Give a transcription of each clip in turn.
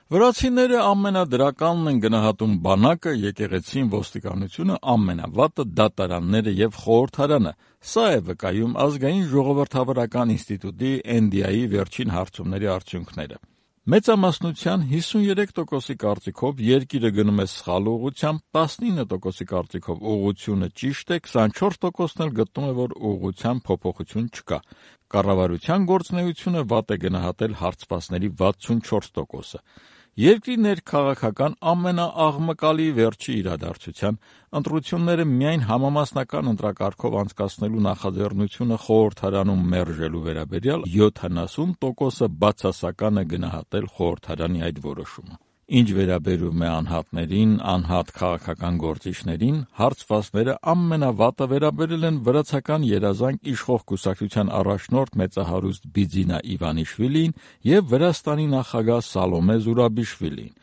Վրացիները ամենադրականն են գնահատում բանակը, եկեղեցին, ոստիկանությունը, ամենավատը դատարանները եւ խորհրդարանը։ Սա է վկայում ազգային ժողովրդավարական ինստիտուտի NDI վերջին հարցումների արդյունքները։ Մեծամասնության 53%-ի կարծիքով երկիրը գնում է սխալ ուղղությամբ, 19%-ի կարծիքով ուղղությունը ճիշտ է, 24%-ն էլ գտնում է, որ ուղղության փոփոխություն չկա։ Կառավարության գործունեությունը վատ է գնահատել հարցվածների 64%-ը։ Երկրի ներքաղաքական ամենաաղմկալի վերջի իրադարձության ընտրությունները միայն համամասնական ընտրակարգով անցկացնելու նախաձեռնությունը խորհրդարանում մերժելու վերաբերյալ 70%-ը բացասական է գնահատել խորհրդարանի այդ որոշումը։ Ինչ վերաբերում է անհատներին, անհատ քաղաքական գործիչներին, հարցվածները ամենավատը վերաբերել են վրացական երազանք իշխող կուսակցության առաջնորդ մեծահարուստ Բիձինա Իվանիշվիլիին եւ Վրաստանի նախագահ Սալոմե Զուրաբիշվիլիին։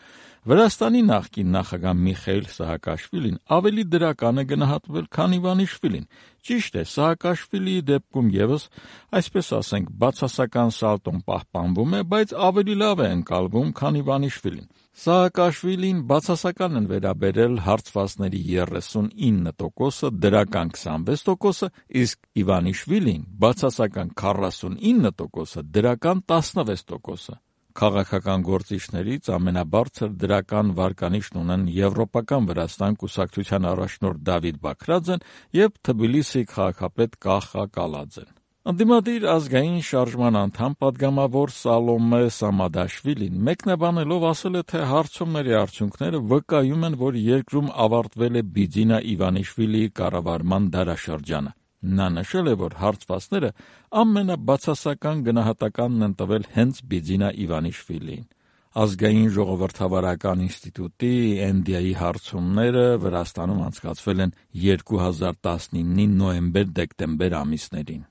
Վրաստանի նախկին նախագահ Միխայիլ Սահակաշվիլին ավելի դրական է գնահատվել, քան Իվանիշվիլին։ Ճիշտ է, Սահակաշվիլիի դեպքում եւս, այսպես ասենք, բացասական սալտոն պահպանվում է, բայց ավելի լավ է ընկալվում, քան Իվանիշվիլին։ Սահակաշվիլին բացասական են վերաբերել հարցվածների 39%-ը, դրական 26%-ը, իսկ Իվանիշվիլին բացասական 49%-ը, դրական 16%-ը։ Քաղաքական գործիչներից ամենաբարձր դրական վարկանիշն ունեն Եվրոպական Վրաստան կուսակցության առաջնորդ Դավիթ Բաքրաձեն եւ Թբիլիսիի քաղաքապետ Կախա Կալաձեն։ Ընդդիմադիր ազգային շարժման անդամ պատգամավոր Սալոմե Սամադաշվիլին մեկնաբանելով ասել է, թե հարցումների արդյունքները վկայում են, որ երկրում ավարտվել է Բիձինա Իվանիշվիլիի կառավարման դարաշրջանը։ Նա նշել է, որ հարցվածները ամենաբացասական գնահատականն են տվել հենց Բիձինա Իվանիշվիլիին։ Ազգային ժողովրդավարական ինստիտուտի NDI հարցումները Վրաստանում անցկացվել են 2019-ի նոյեմբեր-դեկտեմբեր ամիսներին։